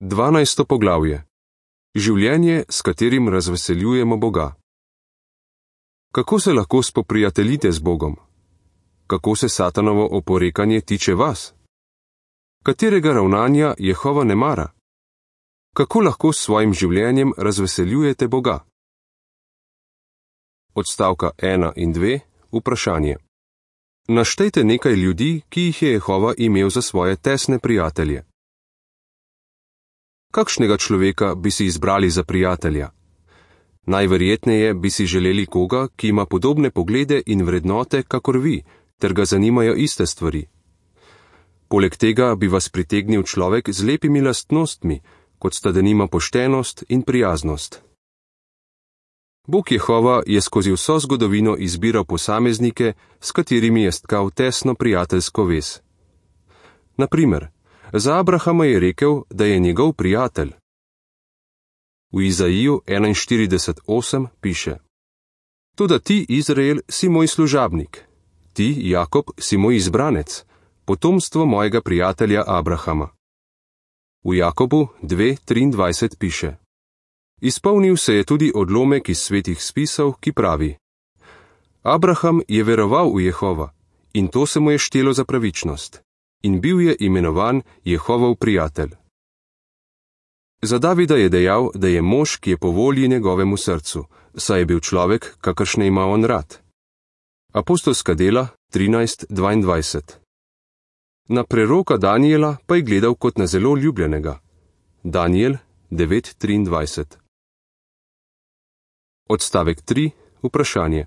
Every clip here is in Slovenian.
12. poglavje. Življenje, s katerim razveseljujemo Boga. Kako se lahko spoprijateljite z Bogom? Kako se Satanovo oporekanje tiče vas? Katerega ravnanja Jehova ne mara? Kako lahko s svojim življenjem razveseljujete Boga? Odstavka 1 in 2. Vprašanje. Naštejte nekaj ljudi, ki jih je Jehova imel za svoje tesne prijatelje. Kakšnega človeka bi si izbrali za prijatelja? Najverjetneje bi si želeli koga, ki ima podobne poglede in vrednote, kakor vi, ter ga zanimajo iste stvari. Poleg tega bi vas pritegnil človek z lepimi lastnostmi, kot sta denimo poštenost in prijaznost. Bog Jehova je skozi vso zgodovino izbiral posameznike, s katerimi je stkal tesno prijateljsko vez. Na primer, za Abrahama je rekel, da je njegov prijatelj. V Izaiju 41:8 piše: Toda ti, Izrael, si moj služabnik, ti, Jakob, si moj izbranec, potomstvo mojega prijatelja Abrahama. V Jakobu 2:23 piše: Izpolnil se je tudi odlomek iz svetih spisov, ki pravi: Abraham je veroval v Jehova in to se mu je štelo za pravičnost, in bil je imenovan Jehovov prijatelj. Za Davida je dejal, da je mož, ki je po volji njegovemu srcu, saj je bil človek, kakršne ima on rad. Apostolska dela 13:22. Na preroka Danijela pa je gledal kot na zelo ljubljenega. Danijel 9:23. Odstavek 3. Vprašanje.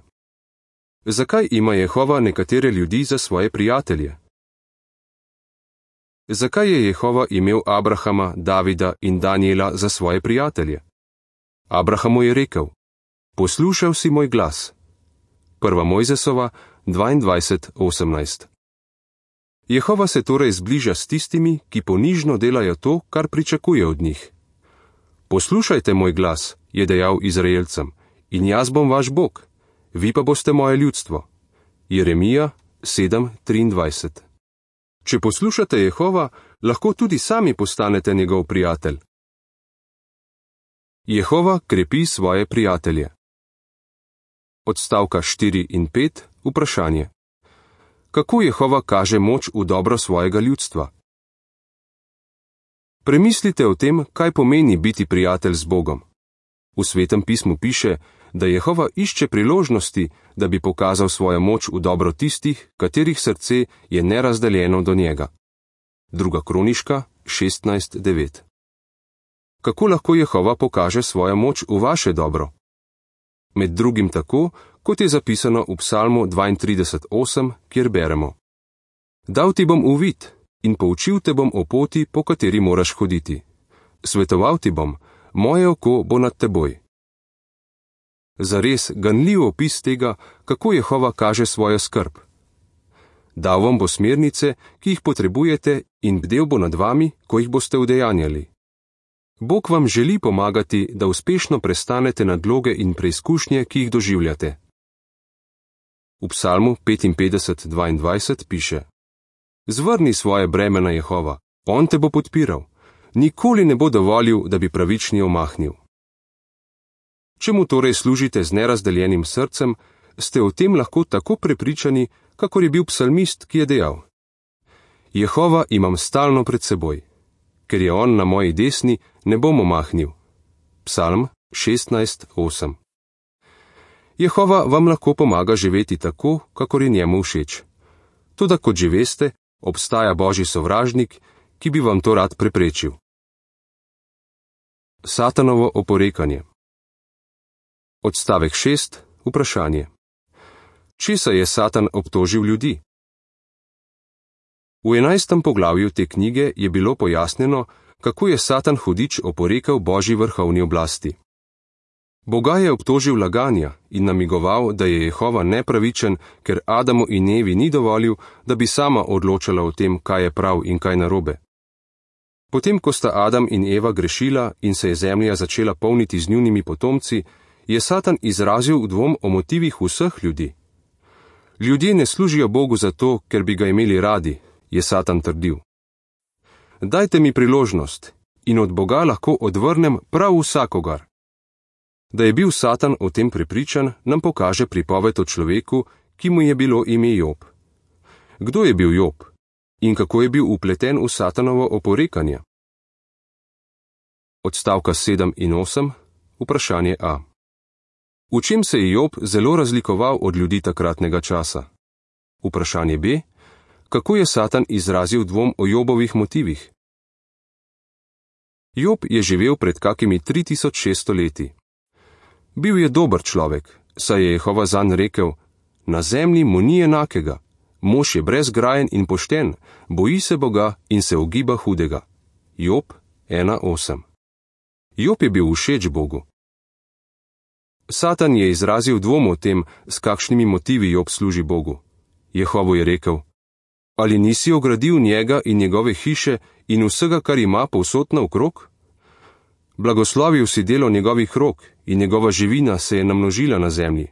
Zakaj ima Jehova nekatere ljudi za svoje prijatelje? Zakaj je Jehova imel Abrahama, Davida in Danijela za svoje prijatelje? Abrahamu je rekel: Poslušal si moj glas. 1. Mojzesova 22:18. Jehova se torej zbliža s tistimi, ki ponižno delajo to, kar pričakuje od njih. Poslušajte moj glas, je dejal Izraelcem, in jaz bom vaš Bog, vi pa boste moje ljudstvo. Jeremija 7:23. Če poslušate Jehova, lahko tudi sami postanete njegov prijatelj. Jehova krepi svoje prijatelje. Odstavka 4 in 5. Vprašanje. Kako Jehova kaže moč v dobro svojega ljudstva? Premislite o tem, kaj pomeni biti prijatelj z Bogom. V Svetem pismu piše, da Jehova išče priložnosti, da bi pokazal svojo moč v dobro tistih, katerih srce je nerazdeljeno do njega. 2. Kroniška 16:9. Kako lahko Jehova pokaže svojo moč v vaše dobro? Med drugim tako, kot je zapisano v Psalmu 32:8, kjer beremo: Dal ti bom uvid in poučil te bom o poti, po kateri moraš hoditi. Svetoval ti bom, moje oko bo nad teboj. Zares ganljiv opis tega, kako Jehova kaže svojo skrb. Dal vam bo smernice, ki jih potrebujete, in bdel bo nad vami, ko jih boste udejanjali. Bog vam želi pomagati, da uspešno prestanete nadloge in preizkušnje, ki jih doživljate. V Psalmu 55:22 piše: Zvrni svoje breme na Jehova, on te bo podpiral, nikoli ne bo dovolil, da bi pravični omahnil. Čemu torej služite z nerazdeljenim srcem, ste o tem lahko tako prepričani, kakor je bil psalmist, ki je dejal: Jehova imam stalno pred seboj, ker je on na moji desni, ne bom omahnil. Psalm 16:8. Jehova vam lahko pomaga živeti tako, kakor je njemu všeč. Toda kot že veste, obstaja božji sovražnik, ki bi vam to rad preprečil. Satanovo oporekanje. Odstavek 6. Vprašanje. Česa je Satan obtožil ljudi? V 11. poglavju te knjige je bilo pojasnjeno, kako je Satan hudič oporekal božji vrhovni oblasti. Boga je obtožil laganja in namigoval, da je Jehova nepravičen, ker Adamu in Evi ni dovolil, da bi sama odločala o tem, kaj je prav in kaj narobe. Potem, ko sta Adam in Eva grešila in se je zemlja začela polniti z njunimi potomci, je Satan izrazil dvom o motivih vseh ljudi. Ljudje ne služijo Bogu zato, ker bi ga imeli radi, je Satan trdil. Dajte mi priložnost in od Boga lahko odvrnem prav vsakogar. Da je bil Satan o tem prepričan, nam pokaže pripoved o človeku, ki mu je bilo ime Job. Kdo je bil Job in kako je bil upleten v Satanovo oporekanje? Odstavka 7 in 8, vprašanje A. V čem se je Job zelo razlikoval od ljudi takratnega časa? Vprašanje B. Kako je Satan izrazil dvom o Jobovih motivih? Job je živel pred kakimi 3600 leti. Bil je dober človek, saj je Jehova zanj rekel: na zemlji mu ni enakega, mož je brezgrajen in pošten, boji se Boga in se ogiba hudega. Job 1:8. Job je bil všeč Bogu. Satan je izrazil dvom o tem, s kakšnimi motivi Job služi Bogu. Jehovo je rekel: ali nisi ogradil njega in njegove hiše in vsega, kar ima povsod naokrog? Blagoslovil si delo njegovih rok in njegova živina se je namnožila na zemlji.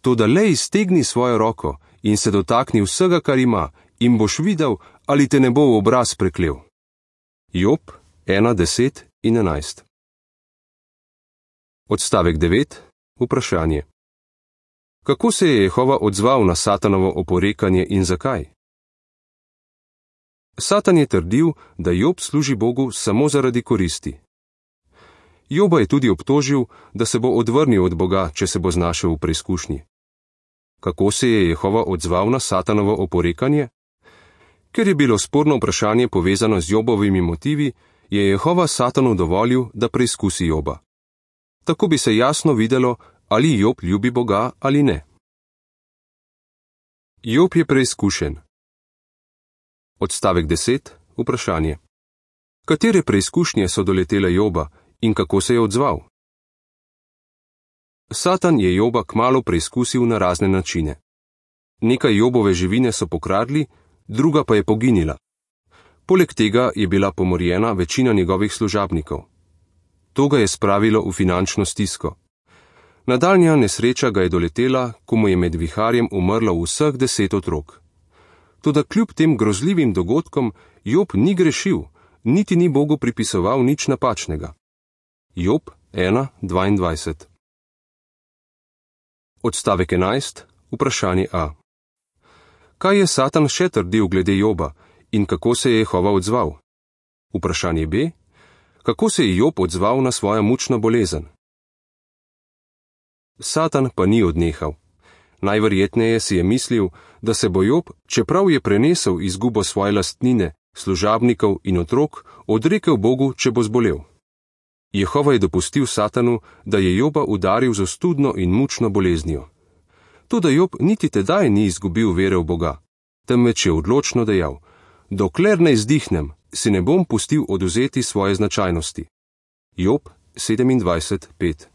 Toda le iztegni svojo roko in se dotakni vsega, kar ima, in boš videl, ali te ne bo v obraz preklel. Job 1:10 in 11. Odstavek 9. Vprašanje. Kako se je Jehova odzval na Satanovo oporekanje in zakaj? Satan je trdil, da Job služi Bogu samo zaradi koristi. Joba je tudi obtožil, da se bo odvrnil od Boga, če se bo znašel v preizkušnji. Kako se je Jehova odzval na Satanovo oporekanje? Ker je bilo sporno vprašanje povezano z Jobovimi motivi, je Jehova Satanu dovolil, da preizkusi Joba. Tako bi se jasno videlo, ali Job ljubi Boga ali ne. Job je preizkušen. Odstavek 10. Vprašanje. Katere preizkušnje so doletele Joba in kako se je odzval? Satan je Joba kmalu preizkusil na razne načine. Nekaj Jobove živine so pokradli, druga pa je poginila. Poleg tega je bila pomorjena večina njegovih služabnikov. To ga je spravilo v finančno stisko. Nadaljnja nesreča ga je doletela, ko mu je med viharjem umrlo vseh 10 otrok. Toda kljub tem grozljivim dogodkom Job ni grešil, niti ni Bogu pripisoval nič napačnega. Job 1:22. Odstavek 11. Vprašanje A. Kaj je Satan še trdil glede Joba in kako se je Jehova odzval? Vprašanje B. Kako se je Job odzval na svojo mučno bolezen? Satan pa ni odnehal. Najverjetneje si je mislil, da se bo Job, čeprav je prenesel izgubo svoje lastnine, služabnikov in otrok, odrekel Bogu, če bo zbolel. Jehova je dopustil Satanu, da je Joba udaril z ostudno in mučno boleznijo. Toda Job niti tedaj ni izgubil vere v Boga, temveč je odločno dejal: dokler ne izdihnem, si ne bom pustil odvzeti svoje značajnosti. Job 27:5.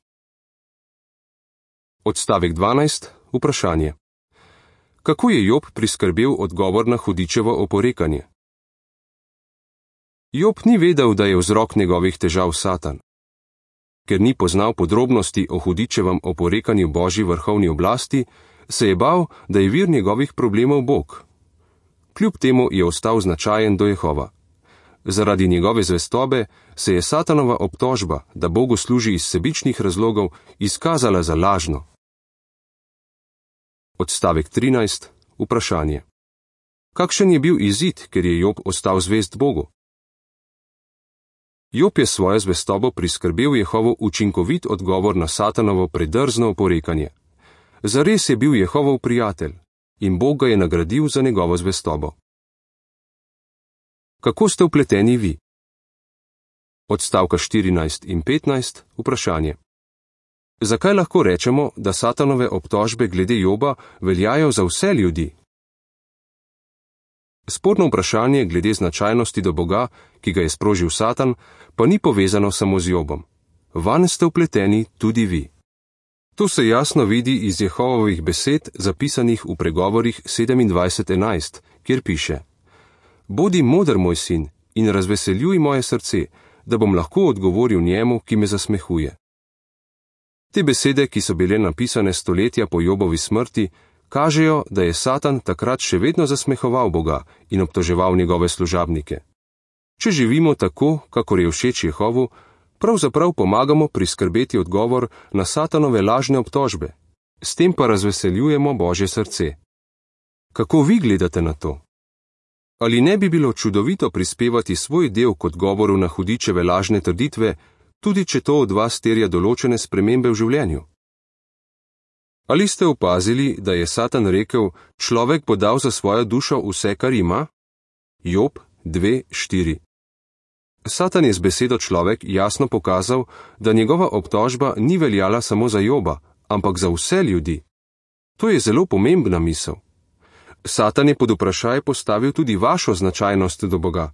Odstavek 12. Vprašanje. Kako je Job priskrbel odgovor na hudičevo oporekanje? Job ni vedel, da je vzrok njegovih težav Satan. Ker ni poznal podrobnosti o hudičevem oporekanju Božji vrhovni oblasti, se je bal, da je vir njegovih problemov Bog. Kljub temu je ostal značajen do Jehova. Zaradi njegove zvestobe se je Satanova obtožba, da Bogu služi iz sebičnih razlogov, izkazala za lažno. Odstavek 13. Vprašanje. Kakšen je bil izid, ker je Job ostal zvest Bogu? Job je svojo zvestobo priskrbel Jehovu učinkovit odgovor na Satanovo predrzno oporekanje. Zares je bil Jehovov prijatelj in Bog ga je nagradil za njegovo zvestobo. Kako ste vpleteni vi? Odstavka 14 in 15. Vprašanje. Zakaj lahko rečemo, da Satanove obtožbe glede Joba veljajo za vse ljudi? Sporno vprašanje glede značajnosti do Boga, ki ga je sprožil Satan, pa ni povezano samo z Jobom. Vanj ste vpleteni tudi vi. To se jasno vidi iz Jehovovih besed, zapisanih v pregovorih 27:11, kjer piše: Bodi moder, moj sin, in razveseljuj moje srce, da bom lahko odgovoril njemu, ki me zasmehuje. Te besede, ki so bile napisane stoletja po Jobovi smrti, kažejo, da je Satan takrat še vedno zasmehoval Boga in obtoževal njegove služabnike. Če živimo tako, kakor je všeč Jehovu, pravzaprav pomagamo priskrbeti odgovor na Satanove lažne obtožbe, s tem pa razveseljujemo Božje srce. Kako vi gledate na to? Ali ne bi bilo čudovito prispevati svoj del kot govoru na hudičeve lažne trditve, tudi če to od vas terja določene spremembe v življenju? Ali ste opazili, da je Satan rekel, človek bo dal za svojo dušo vse, kar ima? Job 2:4. Satan je z besedo človek jasno pokazal, da njegova obtožba ni veljala samo za Joba, ampak za vse ljudi. To je zelo pomembna misel. Satan je pod vprašaj postavil tudi vašo značajnost do Boga.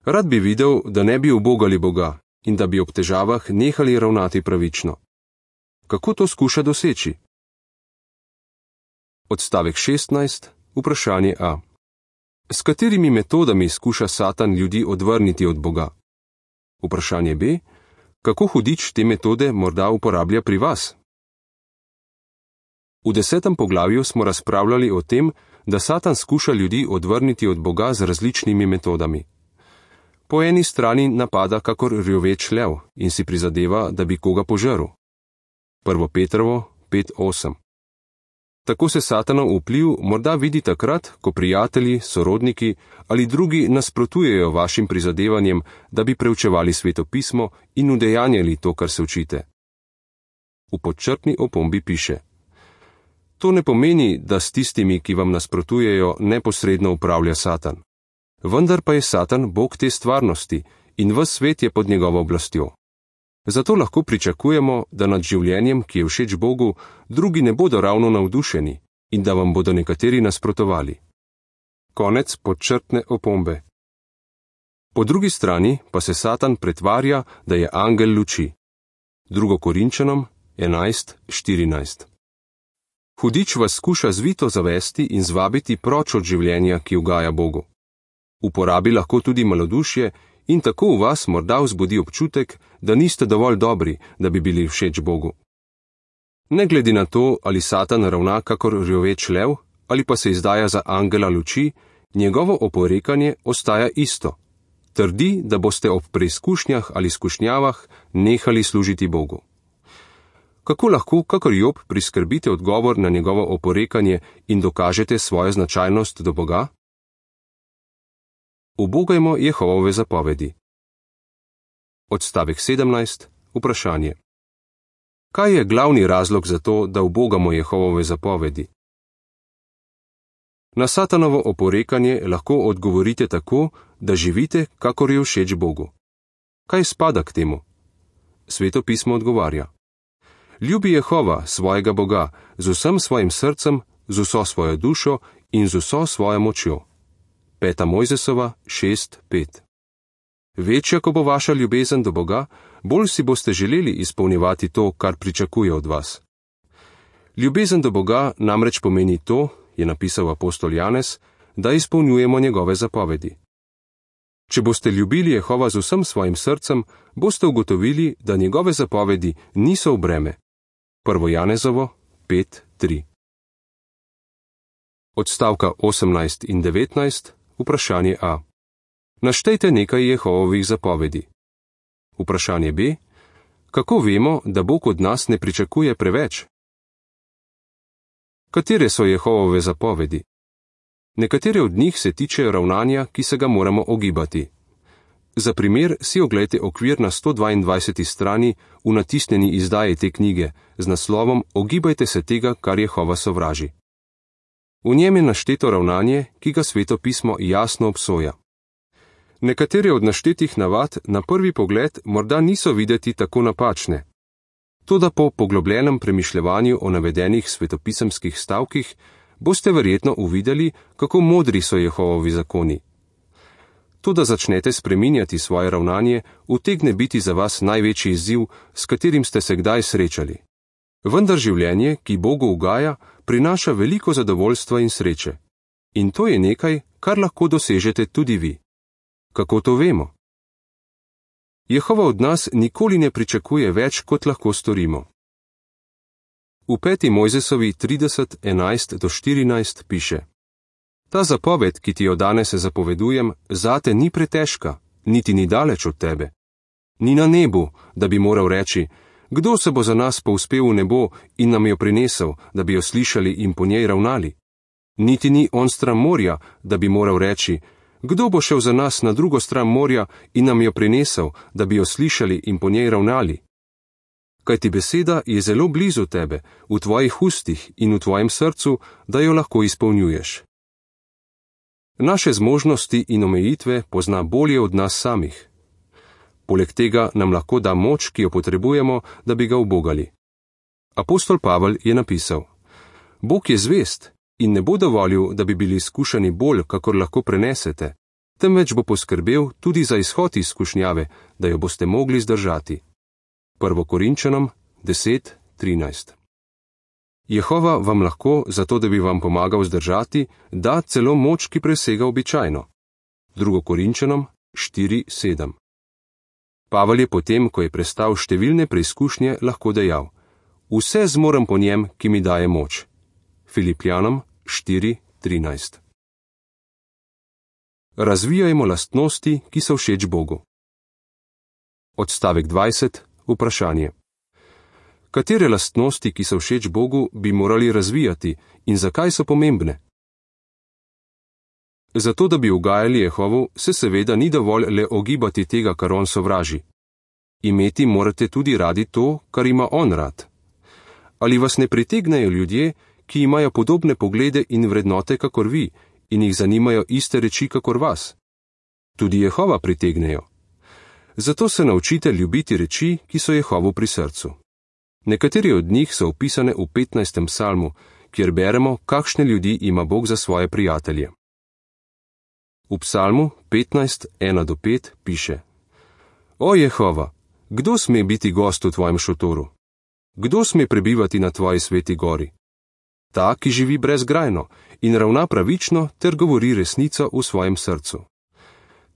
Rad bi videl, da ne bi ubogali Boga in da bi ob težavah nehali ravnati pravično. Kako to skuša doseči? Odstavek 16, vprašanje A. S katerimi metodami skuša Satan ljudi odvrniti od Boga? Vprašanje B. Kako hudič te metode morda uporablja pri vas? V 10. poglavju smo razpravljali o tem, da Satan skuša ljudi odvrniti od Boga z različnimi metodami. Po eni strani napada kakor rjoveč lev in si prizadeva, da bi koga požrl. 1. Petrovo 5:8. Tako se Satanov vpliv morda vidi takrat, ko prijatelji, sorodniki ali drugi nasprotujejo vašim prizadevanjem, da bi preučevali Sveto pismo in udejanjali to, kar se učite. V podčrtni opombi piše: To ne pomeni, da s tistimi, ki vam nasprotujejo, neposredno upravlja Satan. Vendar pa je Satan Bog te stvarnosti in ves svet je pod njegovo oblastjo. Zato lahko pričakujemo, da nad življenjem, ki je všeč Bogu, drugi ne bodo ravno navdušeni in da vam bodo nekateri nasprotovali. Konec podčrtne opombe. Po drugi strani pa se Satan pretvarja, da je angel luči. 2. Korinčanom 11:14. Hudič vas skuša zvito zavesti in zvabiti proč od življenja, ki ugaja Bogu. Uporabi lahko tudi malodušje in tako v vas morda vzbudi občutek, da niste dovolj dobri, da bi bili všeč Bogu. Ne glede na to, ali Satan ravna kakor rjoveč lev, ali pa se izdaja za angela luči, njegovo oporekanje ostaja isto. Trdi, da boste ob preizkušnjah ali skušnjavah nehali služiti Bogu. Kako lahko, kakor Job, priskrbite odgovor na njegovo oporekanje in dokažete svojo značajnost do Boga? Ubogajmo Jehovove zapovedi. Odstavek 17, vprašanje. Kaj je glavni razlog za to, da ubogamo Jehovove zapovedi? Na Satanovo oporekanje lahko odgovorite tako, da živite, kakor je všeč Bogu. Kaj spada k temu? Sveto pismo odgovarja: Ljubi Jehova, svojega Boga, z vsem svojim srcem, z vso svojo dušo in z vso svojo močjo. 5. Mojzesova 6:5. Večja, ko bo vaša ljubezen do Boga, bolj si boste želeli izpolnjevati to, kar pričakuje od vas. Ljubezen do Boga namreč pomeni to, je napisal apostol Janez, da izpolnjujemo njegove zapovedi. Če boste ljubili Jehova z vsem svojim srcem, boste ugotovili, da njegove zapovedi niso v breme. 1. Janezovo 5:3. Odstavka 18 in 19, vprašanje A. Naštejte nekaj Jehovovih zapovedi. Vprašanje B. Kako vemo, da Bog od nas ne pričakuje preveč? Katere so Jehovove zapovedi? Nekatere od njih se tičejo ravnanja, ki se ga moramo ogibati. Za primer si oglejte okvir na 122. strani v natisnjeni izdaji te knjige z naslovom Ogibajte se tega, kar Jehova sovraži. V njem je našteto ravnanje, ki ga Sveto pismo jasno obsoja. Nekatere od naštetih navad na prvi pogled morda niso videti tako napačne. Toda po poglobljenem premišljevanju o navedenih svetopisemskih stavkih boste verjetno uvideli, kako modri so Jehovovi zakoni. To, da začnete spreminjati svoje ravnanje, utegne biti za vas največji izziv, s katerim ste se kdaj srečali. Vendar življenje, ki Bogu ugaja, prinaša veliko zadovoljstva in sreče. In to je nekaj, kar lahko dosežete tudi vi. Kako to vemo? Jehova od nas nikoli ne pričakuje več, kot lahko storimo. V 5. Mojzesovi 30:11-14 piše: Ta zapoved, ki ti jo danes zapovedujem, zate ni pretežka, niti ni daleč od tebe. Ni na nebu, da bi moral reči, kdo se bo za nas povzpel v nebo in nam jo prinesel, da bi jo slišali in po njej ravnali. Niti ni on stran morja, da bi moral reči, kdo bo šel za nas na drugo stran morja in nam jo prinesel, da bi jo slišali in po njej ravnali. Kajti beseda je zelo blizu tebe, v tvojih ustih in v tvojem srcu, da jo lahko izpolnjuješ. Naše zmožnosti in omejitve pozna bolje od nas samih. Poleg tega nam lahko da moč, ki jo potrebujemo, da bi ga ubogali. Apostol Pavel je napisal: Bog je zvest in ne bo dovolil, da bi bili izkušani bolj, kakor lahko prenesete, temveč bo poskrbel tudi za izhod izkušnjave, da jo boste mogli zdržati. 1. Korinčanom 10:13. Jehova vam lahko, zato da bi vam pomagal zdržati, da celo moč, ki presega običajno. 2. Korinčanom 4:7. Pavel je potem, ko je prestal številne preizkušnje, lahko dejal: Vse zmorem po njem, ki mi daje moč. Filipljanom 4:13. Razvijajmo lastnosti, ki so všeč Bogu. Odstavek 20. Vprašanje. Katere lastnosti, ki so všeč Bogu, bi morali razvijati in zakaj so pomembne? Zato, da bi ugajali Jehovu, se seveda ni dovolj le ogibati tega, kar on sovraži. Imeti morate tudi radi to, kar ima on rad. Ali vas ne pritegnejo ljudje, ki imajo podobne poglede in vrednote kakor vi in jih zanimajo iste reči kakor vas? Tudi Jehova pritegnejo. Zato se naučite ljubiti reči, ki so Jehovu pri srcu. Nekateri od njih so opisane v 15. psalmu, kjer beremo, kakšne ljudi ima Bog za svoje prijatelje. V psalmu 15:1-5 piše: O Jehova, kdo sme biti gost v tvojem šotoru? Kdo sme prebivati na tvoji sveti gori? Ta, ki živi brezgrajno in ravna pravično ter govori resnico v svojem srcu.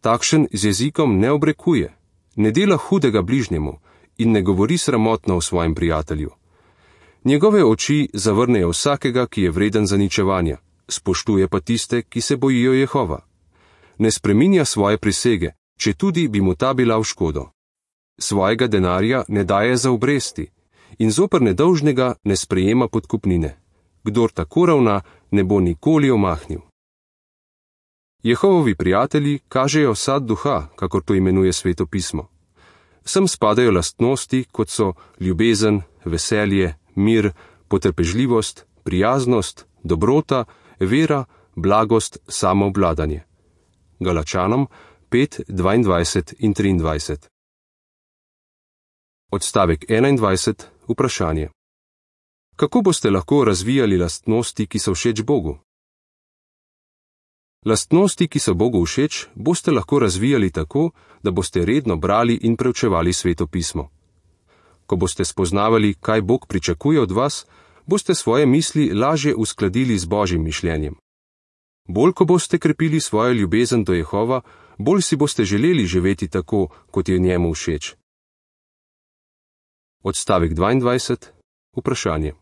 Takšen z jezikom ne obrekuje, ne dela hudega bližnjemu in ne govori sramotno o svojem prijatelju. Njegove oči zavrnejo vsakega, ki je vreden zaničevanja, spoštuje pa tiste, ki se bojijo Jehova. Ne spreminja svoje prisege, četudi bi mu ta bila v škodo. Svojega denarja ne daje za obresti in zoper nedolžnega ne sprejema podkupnine. Kdor tako ravna, ne bo nikoli omahnil. Jehovovi prijatelji kažejo sad duha, kakor to imenuje Sveto pismo. Sem spadajo lastnosti, kot so ljubezen, veselje, mir, potrpežljivost, prijaznost, dobrota, vera, blagost, samoobvladanje. Galačanom 5:22 in 23. Odstavek 21. Vprašanje. Kako boste lahko razvijali lastnosti, ki so všeč Bogu? Lastnosti, ki so Bogu všeč, boste lahko razvijali tako, da boste redno brali in preučevali Sveto pismo. Ko boste spoznavali, kaj Bog pričakuje od vas, boste svoje misli lažje uskladili z Božjim mišljenjem. Bolj, ko boste krepili svojo ljubezen do Jehova, bolj si boste želeli živeti tako, kot je njemu všeč. Odstavek 22. Vprašanje.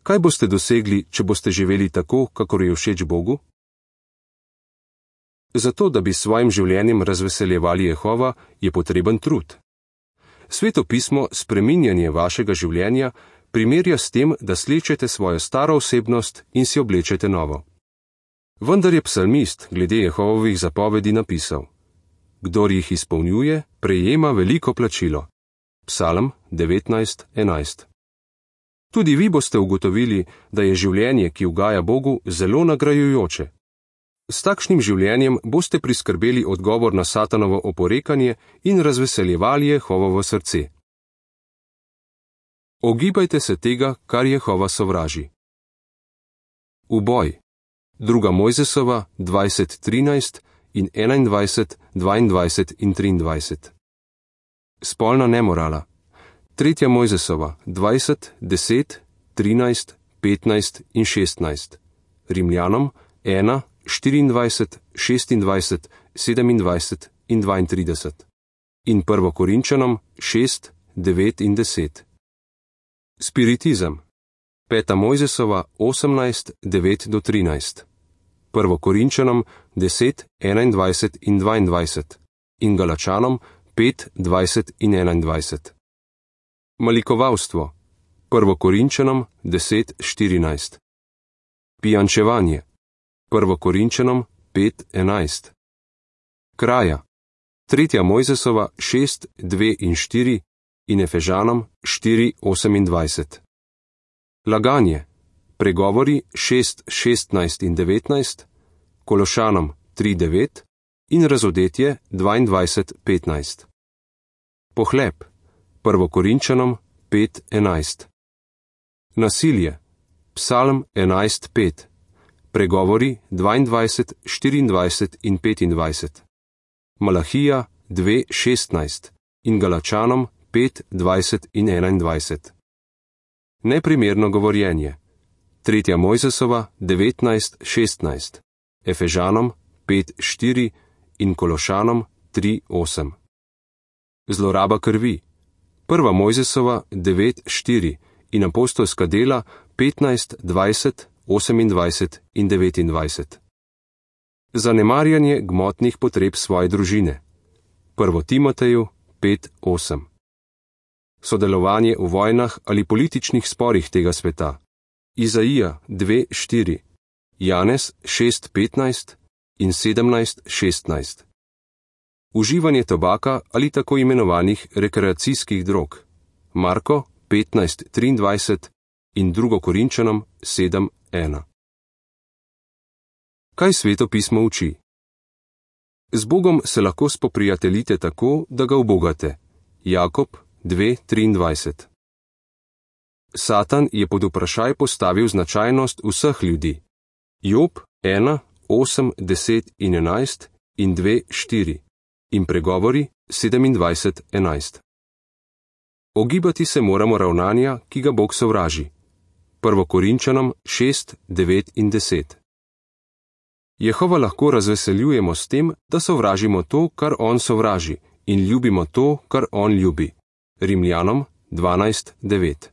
Kaj boste dosegli, če boste živeli tako, kakor je všeč Bogu? Zato, da bi s svojim življenjem razveseljevali Jehova, je potreben trud. Sveto pismo spreminjanje vašega življenja primerja s tem, da slečete svojo staro osebnost in si oblečete novo. Vendar je psalmist glede Jehovovih zapovedi napisal: Kdor jih izpolnjuje, prejema veliko plačilo. Psalm 19:11. Tudi vi boste ugotovili, da je življenje, ki ugaja Bogu, zelo nagrajujoče. S takšnim življenjem boste priskrbeli odgovor na Satanovo oporekanje in razveseljevali Jehovovo srce. Ogibajte se tega, kar Jehova sovraži. Uboj. 2. Mojzesova 20:13 in 21, 22 in 23. Spolna nemorala. 3. Mojzesova 20, 10, 13, 15 in 16. Rimljanom 1, 24, 26, 27 in 32. In 1. Korinčanom 6, 9 in 10. Spiritizem. 5. Mojzesova 18, 9 do 13. 1. Korinčanom 10, 21 in 22. in Galačanom 5, 20 in 21. Malikovalstvo, 1. Korinčanom 10, 14. Pijančevanje, 1. Korinčanom 5, 11. Kraja, 3. Mojzesova 6, 2 in 4 in Efežanom 4, 28. Laganje, pregovori 6, 16 in 19, Kološanom 3, 9 in Razodetje 22, 15. Pohlep, 1. Korinčanom 5, 11. Nasilje, Psalm 11, 5, pregovori 22, 24 in 25. Malahija 2, 16 in Galačanom 5, 20 in 21. Neprimerno govorjenje, 3. Mojzesova 19, 16, Efežanom 5, 4 in Kološanom 3, 8. Zloraba krvi, 1. Mojzesova 9, 4 in apostolska dela 15, 20, 28 in 29. Zanemarjanje gmotnih potreb svoje družine, 1. Timoteju 5, 8. Sodelovanje v vojnah ali političnih sporih tega sveta, Izaija 2, 4, Janez 6, 15 in 17, 16. Uživanje tobaka ali tako imenovanih rekreacijskih drog, Marko 15, 23 in 2. Korinčanom 7, 1. Kaj Sveto pismo uči? Z Bogom se lahko spoprijateljite tako, da ga ubogate. Jakob 2, 23. Satan je pod vprašaj postavil značajnost vseh ljudi. Job 1, 8, 10 in 11 in 2, 4 in pregovori 27, 11. Ogibati se moramo ravnanja, ki ga Bog sovraži. 1. Korinčanom 6, 9 in 10. Jehova lahko razveseljujemo s tem, da sovražimo to, kar on sovraži, in ljubimo to, kar on ljubi. Rimljanom 12, 9.